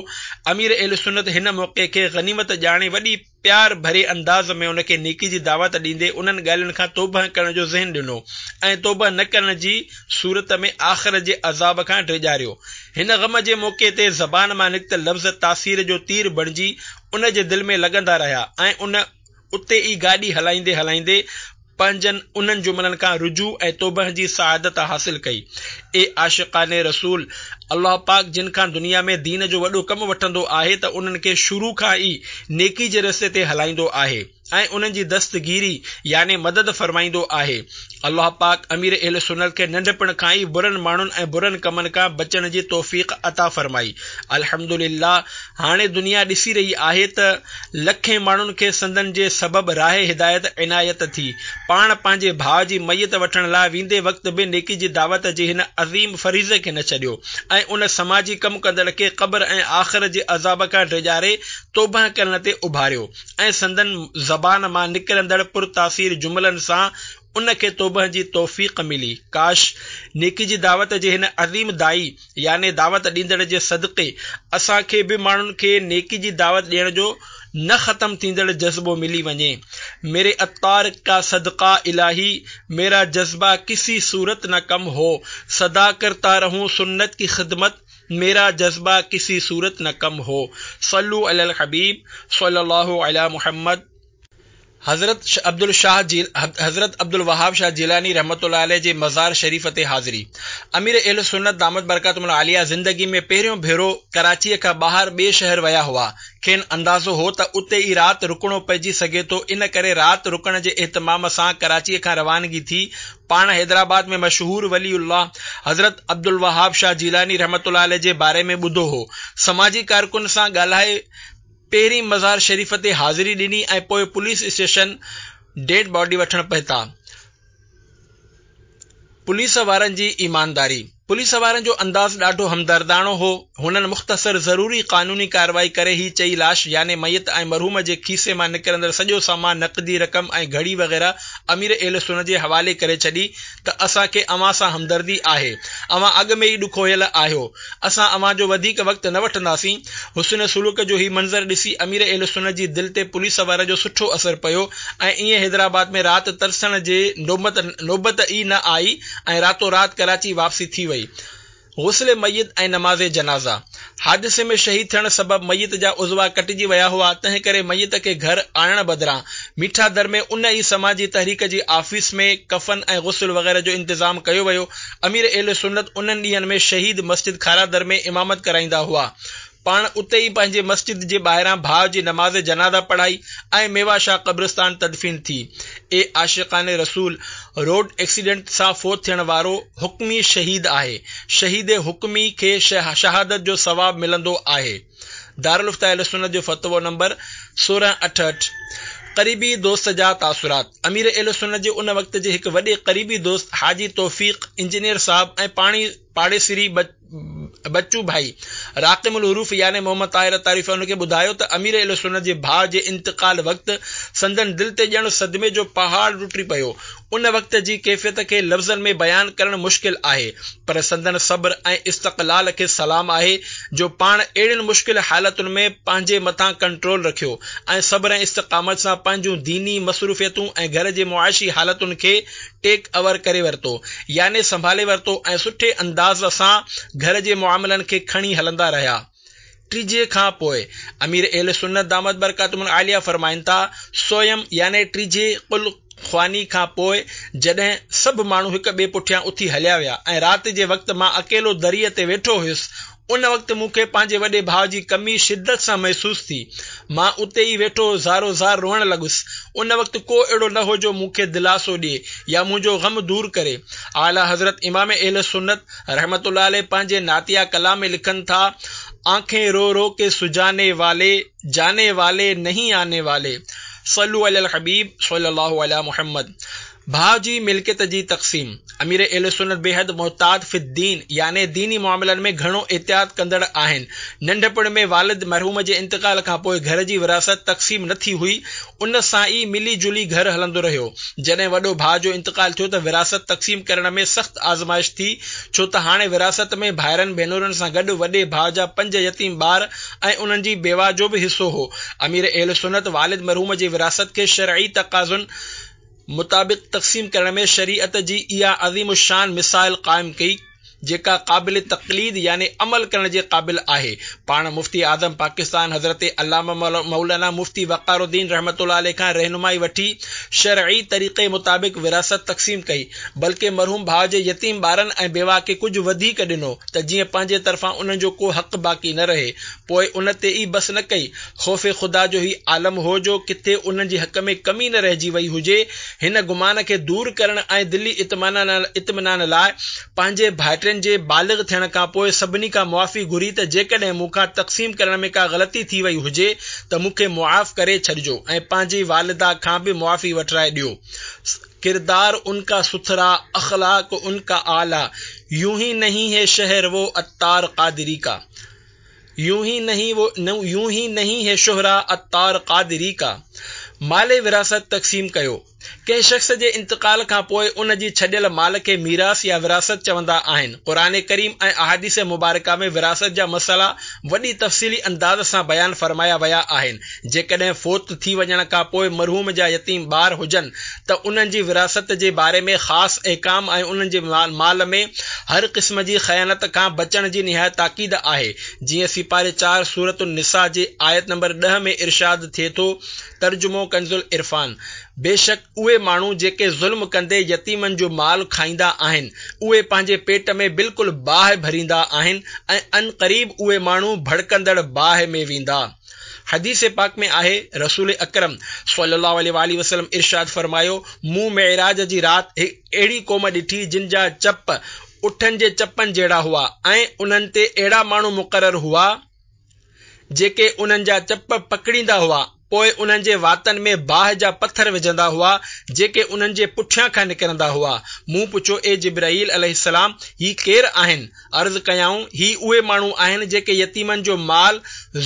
امير اهل سنت هن موقعي کي غنيمت ڄاڻي وڏي پيار ڀري انداز ۾ ان کي نيڪي جي دعوت ڏيندي انهن ڳالهين کان توبهه ڪرڻ جو ذهن ڏنو ۽ توبهه نه ڪرڻ جي صورت ۾ آخرت جي عذاب کان ڊيڄاريو. هن غم جي موقعي تي زبان مان نڪتل لفظ تاثير جو تير بڻجي ان جي دل ۾ لڳندا رهيا ۽ ان اتي ئي گاڏي هلائيندي هلائيندي پنهنجن انهن جملن کان رجوع ۽ توبهه جي سعادت حاصل ڪئي. اي عاشقان رسول! الله پاڪ جن کان دنيا ۾ دين جو وڏو ڪم وٺندو آهي ته انهن کي شروع کان ئي نيڪي جي رستي تي هلائيندو آهي ۽ انهن جي دستگيري يعني مدد فرمائيندو آهي. الله پاڪ امير اهل سنت کي ننڍپڻ کان ئي برن ماڻهن ۽ برن ڪمن کان بچڻ جي توفيق عطا فرمائي. الحمدلله! هاڻي دنيا ڏسي رهي آهي ته لکين ماڻهن کي سندن جي سبب راهه هدايت عنايت ٿي. پاڻ پنهنجي ڀاء جي ميت وٺڻ لاء ويندي وقت به نيڪي جي دعوت جي هن عظيم فريضي کي نه ڇڏيو ۽ ان سماجي ڪم ڪندڙ کي قبر ۽ آخرت جي عذاب کان ڊيڄاري توبهه ڪرڻ تي اڀاريو ۽ سندن زبان مان نڪرندڙ پرتاثير جملن سان ان کي توبهه جي توفيق ملي. ڪاش! نيڪي جي دعوت جي هن عظيم داعي يعني دعوت ڏيندڙ جي صدقي اسان کي به ماڻهن کي نيڪي جي دعوت ڏيڻ جو نه ختم ٿيندڙ جذبو ملي وڃي. ميري عطار ڪا صدقه الٰهي ميرا جذبه ڪسي صورت نه ڪم هو سدا ڪرتا رهون سنت ڪي خدمت ميرا جذبه ڪسي صورت نه ڪم هو صلو علي الحبيب صلي الله علي محمد. حضرت حضرت عبدالوهاب شاهه جيلاني رحمة الله عليه جي مزار شريف تي حاضري. امير اهل سنت دامت برڪاتهم العاليه زندگي ۾ پهريون ڀيرو ڪراچيء کان ٻاهر ٻئي شهر ويا هئا. کين اندازو هو ته اتي ئي رات رڪڻو پئجي سگهي ٿو ان ڪري رات رڪڻ جي اهتمام سان ڪراچيء کان روانگي ٿي پاڻ حيدرآباد ۾ مشهور ولي الله حضرت عبدالوهاب شاهه جيلاني رحمة الله عليه جي باري ۾ ٻڌو هو. سماجي ڪارڪن سان ڳالهائي پهرين مزار شريف تي حاضري ڏني ۽ پوء پوليس اسٽيشن ڊيڊ باڊي وٺڻ پهتا. پوليس وارن جي ايمانداري. پوليس وارن جو انداز ڏاڍو همدرداڻو هو. هنن مختصر ضروري قانوني ڪارروائي ڪري هي چئي لاش يعني ميت ۽ مرحوم جي کيسي مان نڪرندڙ سڄو سامان نقدي رقم ۽ گهڙي وغيره امير اهل سنت جي حوالي ڪري ڇڏي ته اسان کي اوهان سان همدردي آهي. اوهان اڳ ۾ ئي ڏکويل آهيو. اسان اوهان جو وڌيڪ وقت نه وٺنداسين. حسن سلوڪ جو هي منظر ڏسي امير اهل سنت جي دل تي پوليس وارن جو سٺو اثر پيو ۽ ائين حيدرآباد ۾ رات ترسڻ جي نوبت ئي نه آئي ۽ راتو رات ڪراچي واپسي ٿي وئي. غسل ميت ۽ نماز جنازه. حادثي ۾ شهيد ٿيڻ سبب ميت جا عضوا ڪٽجي ويا هئا، تنهن ڪري ميت کي گهر آڻڻ بدران ميٺا در ۾ ان ئي سماجي تحريڪ جي آفيس ۾ ڪفن ۽ غسل وغيره جو انتظام ڪيو ويو. امير اهل سنت انهن ڏينهن ۾ شهيد مسجد کارادر ۾ امامت ڪرائيندا هئا. پاڻ اتي ئي پنهنجي مسجد جي ٻاهران ڀاء جي نماز جنازه پڙهائي ۽ ميوا شاهه قبرستان تدفين ٿي. اي عاشقان رسول! روڊ ايڪسيڊنٽ سان فوت ٿيڻ وارو حڪمي شهيد آهي. شهيد حڪمي کي شهادت جو ثواب ملندو آهي. دارالافتاء اهلسنت جو فتوو نمبر 16 اٺ اٺ. قريبي دوست جا تاثرات، امير اهلسنت جي ان وقت جي هڪ وڏي قريبي دوست حاجي توفيق انجنيئر صاحب ۽ پاڻي پاڙيسري بچو ڀائي راقم الحروف يعني محمد طاهر عطاري ان کي ٻڌايو ته امير اهلسنت جي ڀاء جي انتقال وقت سندن دل تي ڄڻ صدمي جو پهاڙ ٽٽي پيو. ان وقت جي ڪيفيت کي لفظن ۾ بيان ڪرڻ مشڪل آهي، پر سندن صبر ۽ استقلال کي سلام آهي جو پاڻ اهڙين مشڪل حالتن ۾ پنهنجي مٿان ڪنٽرول رکيو ۽ صبر ۽ استقامت سان پنهنجون ديني مصروفيتون ۽ گهر جي معاشي حالتن کي ٽيڪ اوور ڪري ورتو يعني سنڀالي ورتو ۽ سٺي انداز سان گهر جي معاملن کي کڻي هلندا رهيا. ٽيجهي کان پوء امير اهل سنت دامت برڪاتهم العاليه فرمائن ٿا، سوئم يعني ٽيجهي قل خواني کان پوء جڏهن سڀ ماڻهو هڪ ٻئي پٺيان اٿي هليا ويا ۽ رات جي وقت مان اڪيلو دريء تي ويٺو هيس، ان وقت مون کي پنهنجي وڏي ڀاء جي ڪمي شدت سان محسوس ٿي. مان اتي ئي ويٺو زارو زار روئڻ لڳس. ان وقت ڪو اهڙو نه هو جو مون کي دلاسو ڏئي يا منهنجو غم دور ڪري. اعليٰ حضرت امام اهل سنت رحمة الله عليه پنهنجي نعتيه ڪلام ۾ لکن ٿا، آنکين رو رو ڪي سجاني والي، جاني والي نهين آني والي. صلو علي الحبيب صلي الله علي محمد. ڀاء جي ملڪيت جي تقسيم، امير اهل سنت بيحد محتاط في الدين يعني ديني معاملن ۾ گهڻو احتياط ڪندڙ آهن. ننڍپڻ ۾ والد مرحوم جي انتقال کان پوء گهر جي وراثت تقسيم نه ٿي هئي، ان سان ئي ملي جلي گهر هلندو رهيو. جڏهن وڏو ڀاء جو انتقال ٿيو ته وراثت تقسيم ڪرڻ ۾ سخت آزمائش ٿي، ڇو ته هاڻي وراثت ۾ ڀائرن ڀينرن سان گڏ وڏي ڀاء جا پنج يتيم ٻار ۽ انهن جي بيواهه جو به حصو هو. امير اهل سنت والد مرحوم جي وراثت کي شرعي تقاضن مطابق تقسيم ڪرڻ ۾ شريعت جي اها عظيم الشان مثال قائم ڪئي، جيڪا قابل تقليد يعني عمل ڪرڻ جي قابل آهي. پاڻ مفتي اعظم پاڪستان حضرت علامه مولانا مفتي وقار الدين رحمة الله عليه کان رهنمائي وٺي شرعي طريقي مطابق وراثت تقسيم ڪئي، بلڪه مرحوم ڀاء جي يتيم ٻارن ۽ بيواهه کي ڪجهه وڌيڪ ڏنو ته جيئن پنهنجي طرفان انهن جو ڪو حق باقي نه رهي. پوء ان تي ئي بس نه ڪئي. خوف خدا جو هي عالم هو جو ڪٿي انهن جي حق ۾ ڪمي نه رهجي وئي هجي، هن گمان کي دور ڪرڻ ۽ دلي اطمينان لاء پنهنجي ڀائٽين جي بالغ ٿيڻ کان پوء سڀني کان معافي گهري ته جيڪڏهن مون کان تقسيم ڪرڻ ۾ ڪا غلطي ٿي وئي هجي ته مون کي معاف ڪري ڇڏجو ۽ پنهنجي والده کان به معافي وٺرائي ڏيو. ڪردار ان کا ستھرا، اخلاق ان کا اعليٰ، يون هي نهين هي شهر وو عطار قادري کا. يون هي نهين وو يون هي نهين هي شهره عطار قادري کا. مال وراثت تقسيم ڪيو. ڪنهن شخص جي انتقال کان پوء ان جي ڇڏيل مال کي ميراث يا وراثت چوندا آهن. قرآن ڪريم ۽ احاديث مبارڪه ۾ وراثت جا مسئلا وڏي تفصيلي انداز سان بيان فرمايا ويا آهن. جيڪڏهن فوت ٿي وڃڻ کان پوء مرحوم جا يتيم ٻار هجن ته انهن جي وراثت جي باري ۾ خاص احڪام ۽ انهن جي مال ۾ هر قسم جي خيانت کان بچڻ جي نهايت تاڪيد آهي، جيئن سيپاري چار سورة النساء جي آيت نمبر ڏهه ۾ ارشاد ٿئي ٿو، ترجمو ڪنزالعرفان، بيشڪ اهي ماڻهو جيڪي ظلم ڪندي يتيمن جو مال کائيندا آهن، اهي پنهنجي پيٽ ۾ بلڪل باهه ڀريندا آهن ۽ عنقريب اهي ماڻهو ڀڙڪندڙ باهه ۾ ويندا. حديث پاڪ ۾ آهي، رسول اڪرم صلي الله عليه واٰله وسلم ارشاد فرمايو، مون معراج جي رات هڪ اهڙي قوم ڏٺي جن جا چپ اٺن جي چپن جهڙا هئا ۽ انهن تي اهڙا ماڻهو مقرر هئا جيڪي انهن جا چپ پڪڙيندا هئا پوء انهن جي واتن ۾ باهه جا پٿر وجهندا هئا جيڪي انهن جي پٺيان کان نڪرندا هئا. مون پڇيو، اي جبرائيل عليه السلام! هي ڪير آهن؟ عرض ڪيائون، هي اهي ماڻهو آهن جيڪي يتيمن جو مال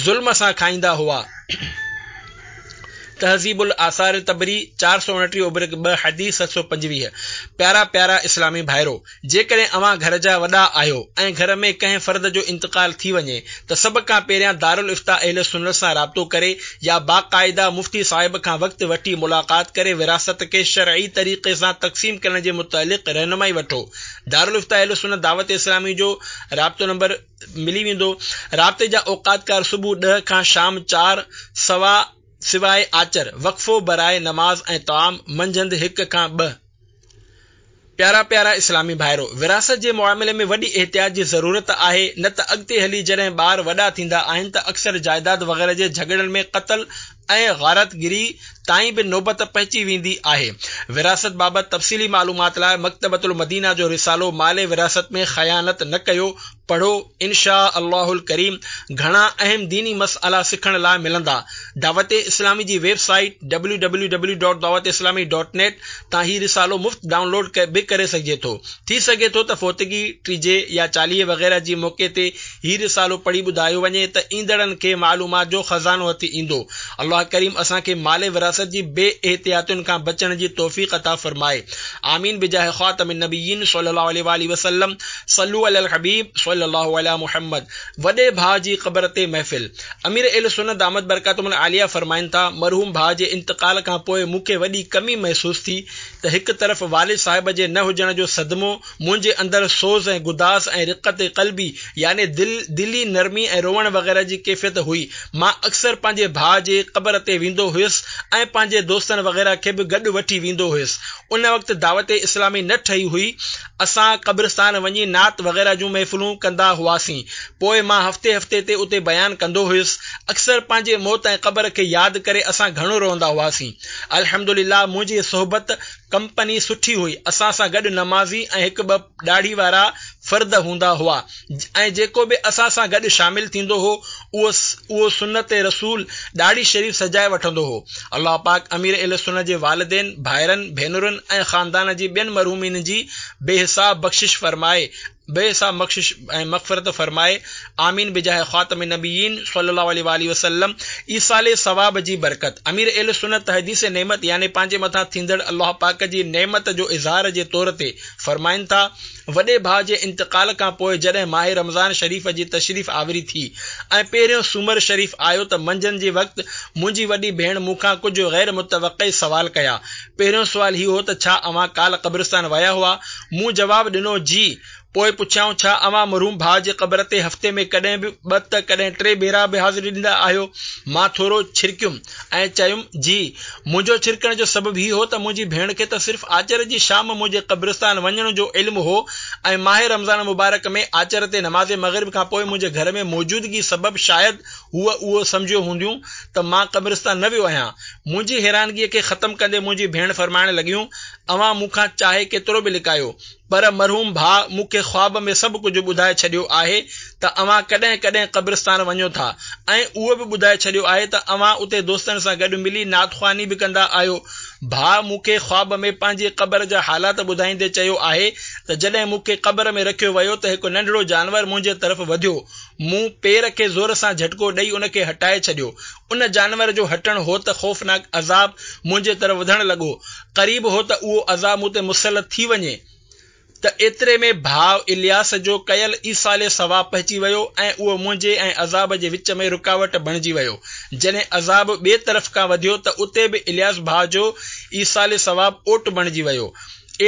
ظلم سان کائيندا هئا. تهذيب الاثار طبري، 429 اوبرڪ ٻه، حديث 725. پيارا پيارا اسلامي ڀائرو! جيڪڏهن اوهان گهر جا وڏا آهيو ۽ گهر ۾ ڪنهن فرد جو انتقال ٿي وڃي ته سڀ کان پهريان دارالافتاء اهل سنت سان رابطو ڪري يا باقاعده مفتي صاحب کان وقت وٺي ملاقات ڪري وراثت کي شرعي طريقي سان تقسيم ڪرڻ جي متعلق رهنمائي وٺو. دارالافتاء اهل سنت دعوت اسلامي جو رابطو نمبر ملي ويندو. رابطي جا اوقات ڪار صبح ڏهه کان شام چار سوا سواء آچر، وقفو براء نماز ۽ طعام، منجهند هڪ کان ٻه. پيارا پيارا اسلامي ڀائرو! وراثت جي معاملي ۾ وڏي احتياط جي ضرورت آهي، نه ته اڳتي هلي جڏهن ٻار وڏا ٿيندا آهن ته اڪثر جائداد وغيره جي جهڳڙن ۾ قتل ۽ غارتگري تائين به نوبت پهچي ويندي آهي. وراثت بابت تفصيلي معلومات لاء مڪتبة المدينه جو رسالو مال وراثت ۾ خيانت نه ڪيو پڙهو، ان شآء الله الڪريم گهڻا اهم ديني مسئلا سکڻ لاء ملندا. دعوت اسلامي جي web site www dot Dawat Islami dot net تان هي رسالو مفت ڊائونلوڊ به ڪري سگهجي ٿو. ٿي سگهي ٿو ته فوتگي، ٽيجهي يا چاليهي وغيره جي موقعي تي هي رسالو پڙهي ٻڌايو وڃي ته ايندڙن کي معلومات جو خزانو هٿ ايندو. الله ڪريم اسان کي مال وراثت جي بي احتياطين کان بچڻ جي توفيق عطا فرمائي. آمين بجاه خاتم النبيين صلي الله عليه واٰله وسلم صلو علي الحبيب صلي الله علي محمد وڏي ڀاء جي قبر تي محفل امير اهل سنت دامت برڪاتهم العاليه فرمائن ٿا، مرحوم ڀاء جي انتقال کان پوء مون کي وڏي ڪمي محسوس ٿي ته هڪ طرف والد صاحب جي نه هجڻ جو صدمو منهنجي اندر سوز ۽ گداز ۽ رقت قلبي يعني دل دلي نرمي ۽ روئڻ وغيره جي ڪيفيت هئي. مان اڪثر پنهنجي ڀاء جي قبر تي ويندو هيس ۽ پنهنجي دوستن وغيره کي به گڏ وٺي ويندو هيس. ان وقت دعوت اسلامي نه ٺهي هئي. اسان قبرستان وڃي نعت وغيره جون محفلون ڪندا هئاسين. پوء مان هفتي هفتي تي اتي بيان ڪندو هيس. اڪثر پنهنجي موت ۽ قبر کي ياد ڪري اسان گهڻو روئندا هئاسين. الحمدلله منهنجي صحبت ڪمپني سٺي هئي، اسان سان گڏ نمازي ۽ هڪ ٻه ڏاڙهي وارا فرد هوندا هئا ۽ جيڪو به اسان سان گڏ شامل ٿيندو هو اهو اهو سنت رسول ڏاڙهي شريف سجائي وٺندو هو. الله پاڪ امير اهل سنت جي والدين، ڀائرن، ڀينرن ۽ خاندان جي ٻين مرحومين جي بي حساب بخشش فرمائي بي حساب بخشش ۽ مغفرت فرمائي آمين بجاه خاتم النبيين صلي الله عليه واٰله وسلم ايصال ثواب جي برڪت امير اهل سنت تحديث نعمت يعني پنهنجي مٿان ٿيندڙ الله پاڪ جي نعمت جو اظهار جي طور تي فرمائن ٿا وڏي ڀاء جي انتقال کان پوء جڏهن ماه رمضان شريف جي تشريف آوري ٿي ۽ پهريون سومر شريف آيو ته منجهند جي وقت منهنجي وڏي ڀيڻ مون کان ڪجهه غير متوقع سوال ڪيا پهريون سوال هي هو ته ڇا اوهان ڪالهه قبرستان ويا هئا مون جواب ڏنو، جي. پوء پڇيائون، ڇا اوهان مرحوم ڀاء جي قبر تي هفتي ۾ ڪڏهن به ٻه ته ڪڏهن ٽي ڀيرا به حاضري ڏيندا آهيو؟ مان ٿورو ڇرڪيم ۽ چيم، جي. منهنجو ڇرڪڻ جو سبب هي هو ته منهنجي ڀيڻ کي ته صرف آچر جي شام منهنجي قبرستان وڃڻ جو علم هو ۽ ماه رمضان المبارڪ ۾ آچر تي نماز مغرب کان پوء منهنجي گهر ۾ موجودگي سبب شايد هوء اهو سمجهيو هونديون ته مان قبرستان نه ويو آهيان. منهنجي حيرانگيء کي ختم ڪندي منهنجي ڀيڻ فرمائڻ لڳيون، اوهان مون کان چاهي ڪيترو به لڪايو، پر مرحوم ڀاء مون کي خواب ۾ سڀ ڪجهه ٻڌائي ڇڏيو آهي ته اوهان ڪڏهن ڪڏهن قبرستان وڃو ٿا ۽ اهو به ٻڌائي ڇڏيو آهي ته اوهان اتي دوستن سان گڏ ملي نعت خواني به ڪندا آهيو. ڀاء مون کي خواب ۾ پنهنجي قبر جا حالات ٻڌائيندي چيو آهي ته جڏهن مون کي قبر ۾ رکيو ويو ته هڪ ننڍڙو جانور منهنجي طرف وڌيو. مون پير کي زور سان جهٽڪو ڏئي ان کي هٽائي ڇڏيو. ان جانور جو هٽڻ هو ته خوفناڪ عذاب منهنجي طرف وڌڻ لڳو. قريب هو ته اهو عذاب مون تي مسلط ٿي وڃي ته ايتري ۾ ڀاء الياس جو ڪيل ايصال ثواب پهچي ويو ۽ اهو منهنجي ۽ عذاب جي وچ ۾ رڪاوٽ بڻجي ويو. جڏهن عذاب ٻئي طرف کان وڌيو ته اتي به الياس ڀاء جو ايصال ثواب اوٽ بڻجي ويو.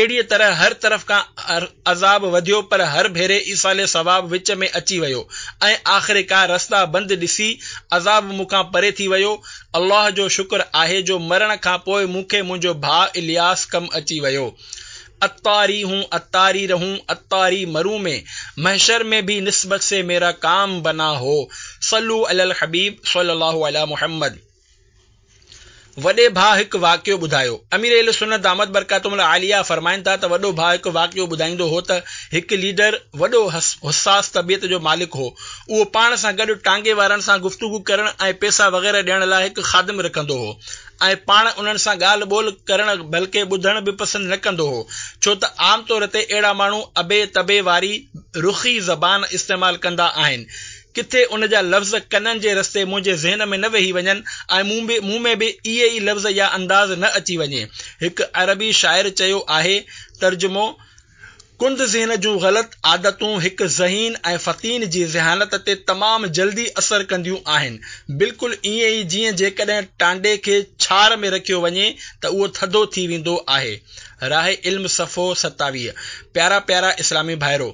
اهڙيء طرح هر طرف کان عذاب وڌيو پر هر ڀيري ايصال ثواب وچ ۾ اچي ويو ۽ آخرڪار رستا بند ڏسي عذاب مون کان پري ٿي ويو. الله جو شڪر آهي جو مرڻ کان پوء مون کي منهنجو ڀاء الياس ڪم اچي ويو. عطاري هون عطاري رهون عطاري مرون مين محشر ۾ ڀي نسبت سي ميرا ڪام بنا هو صلو علي الحبيب صلي الله علي محمد. وڏي ڀاء هڪ واقعو ٻڌايو. امير اهل سنت دامت برڪاتهم العاليه فرمائن ٿا ته وڏو ڀاء هڪ واقعو ٻڌائيندو هو ته هڪ ليڊر وڏو حساس طبيعت جو مالڪ هو. اهو پاڻ سان گڏ ٽانگي وارن سان گفتگو ڪرڻ ۽ پئسا وغيره ڏيڻ لاء هڪ خادم رکندو هو ۽ پاڻ انهن سان ڳالهه ٻولهه ڪرڻ بلڪه ٻڌڻ به پسند نه ڪندو هو ڇو ته عام طور تي اهڙا ماڻهو ابي تبي واري رخي زبان استعمال ڪندا آهن ڪٿي ان جا لفظ ڪنن جي رستي منهنجي ذهن ۾ نه ويهي وڃن ۽ مون به مون ۾ به اهي ئي لفظ يا انداز نه اچي وڃي. هڪ عربي شاعر چيو آهي، ترجمو، ڪند ذهن جون غلط عادتون هڪ ذهين ۽ فطين جي ذهانت تي تمام جلدي اثر ڪنديون آهن. بلڪل ائين ئي جيئن جيڪڏهن ٽانڊي کي ڇار ۾ رکيو وڃي ته اهو ٿڌو ٿي ويندو آهي. راهه علم صفحو 27. پيارا پيارا اسلامي ڀائرو!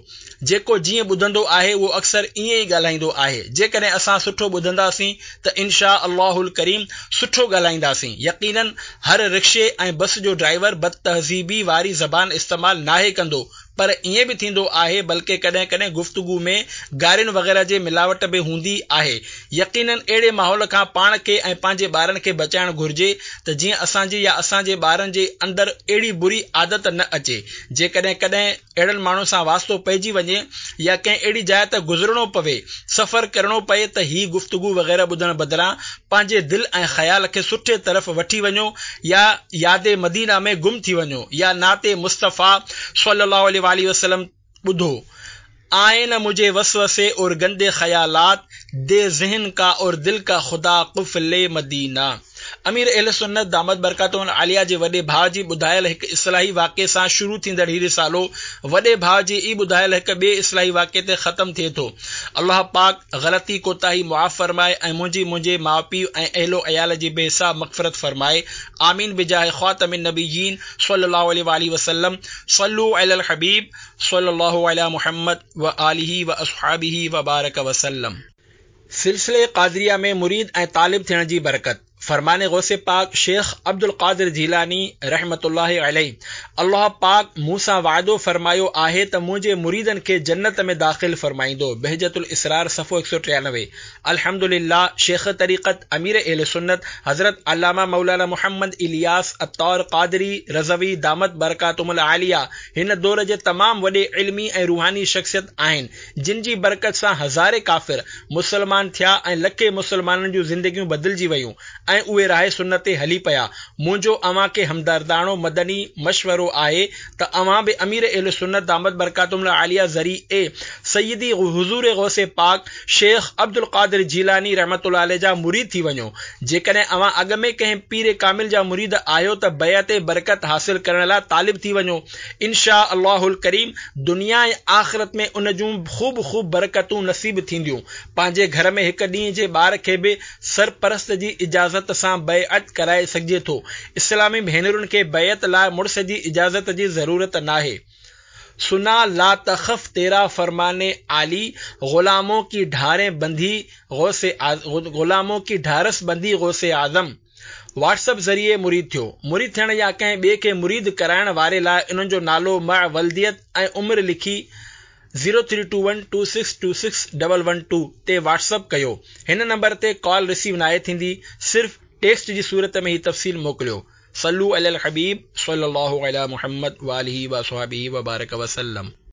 جيڪو جيئن ٻڌندو آهي اهو اڪثر ائين ئي ڳالهائيندو آهي. جيڪڏهن اسان سٺو ٻڌنداسين ته ان شآء الله الڪريم سٺو ڳالهائينداسين. يقيناً هر رڪشي ۽ بس جو ڊرائيور بدتهذيبي واري زبان استعمال ناهي ڪندو پر ائين به ٿيندو آهي بلڪه ڪڏهن ڪڏهن گفتگو ۾ گارين وغيره جي ملاوٽ به هوندي آهي. يقيناً اهڙي ماحول کان پاڻ کي ۽ پنهنجي ٻارن کي بچائڻ گهرجي ته جيئن اسان جي يا اسان جي ٻارن جي اندر اهڙي بري عادت نه اچي. جيڪڏهن ڪڏهن اهڙن ماڻهن سان واسطو پئجي وڃي يا ڪنهن اهڙي جاء تي گذرڻو پوي، سفر ڪرڻو پئي ته هي گفتگو وغيره ٻڌڻ بدران پنهنجي دل ۽ خيال کي سٺي طرف وٺي وڃو يا ياد مدينه ۾ گم ٿي وڃو يا نعت مصطفيٰ صلّي الله عليه واٰله وسلّم ٻڌو. آئي نه مجهي وسوسي اور گندي خيالات दे ज़हन का और दिल का खुदा क़ुफ़्ल मदीना. امير اهل سنت دامت برڪاتهم العاليه جي وڏي ڀاء جي ٻڌايل هڪ اصلاحي واقعي سان شروع ٿيندڙ هي رسالو وڏي ڀاء جي ئي ٻڌايل هڪ ٻئي اصلاحي واقعي تي ختم ٿئي ٿو. الله پاڪ غلطي ڪوتاهي معاف فرمائي ۽ منهنجي منهنجي ماء پيء ۽ اهل و عيال جي بي حساب مغفرت فرمائي. آمين بجاه خاتم النبيين صلي الله عليه واٰله وسلم صلو علی الحبيب صلي الله علي محمد وآله واصحابه وبارڪ وسلم. سلسلي قادريه ۾ مريد ۽ طالب ٿيڻ جي برڪت، فرمان غوث پاڪ شيخ عبدالقادر جيلاني رحمة الله عليه، الله پاڪ مون سان وعدو فرمايو آهي ته منهنجي مريدن کي جنت ۾ داخل فرمائيندو، بهجة الاسرار صفحو 193، الحمدلله شيخ طريقت امير اهل سنت حضرت علامه مولانا محمد الياس عطار قادري رضوي دامت برڪاتهم العاليه هن دور جي تمام وڏي علمي ۽ روحاني شخصيت آهن جن جي برڪت سان هزارين ڪافر مسلمان ٿيا ۽ لکين مسلمانن جون زندگيون بدلجي ويون ۽ اهي راهه سنت تي هلي پيا. منهنجو اوهان کي همدرداڻو مدني مشورو آهي ته اوهان به امير اهل سنت دامت برڪاتهم العاليه ذريعي سيدي حضور غوث پاڪ شيخ عبدالقادر جيلاني رحمة الله عليه جا مريد ٿي وڃو. جيڪڏهن اوهان اڳ ۾ ڪنهن پير ڪامل جا مريد آهيو ته بيعت برڪت حاصل ڪرڻ لاء طالب ٿي وڃو. ان شاء الله الڪريم دنيا ۽ آخرت ۾ ان جون خوب خوب برڪتون نصيب ٿينديون. پنهنجي گهر ۾ هڪ ڏينهن جي ٻار کي به سرپرست جي اجازت سان بيعت ڪرائي سگهجي ٿو. اسلامي ڀينرن کي بيعت لاء مڙس جي اجازت جي ضرورت ناهي. سنا لا تخف تيرا فرمان عالي غلامون ڪي ڍارين بندي غوث غلامون ڪي ڍارس بندي غوث اعظم. واٽس اپ ذريعي مريد ٿيو. مريد ٿيڻ يا ڪنهن ٻئي کي مريد ڪرائڻ واري لاء انهن جو نالو مع ولديت ۽ عمر لکي zero three two one two six two six double one two تي واٽس اپ ڪيو. هن نمبر تي ڪال رسيو ناهي ٿيندي صرف ٽيڪسٽ جي صورت ۾ هي تفصيل موڪليو. صلو علی الحبيب صلي الله علی محمد واله واصحابه وبارڪ وسلم.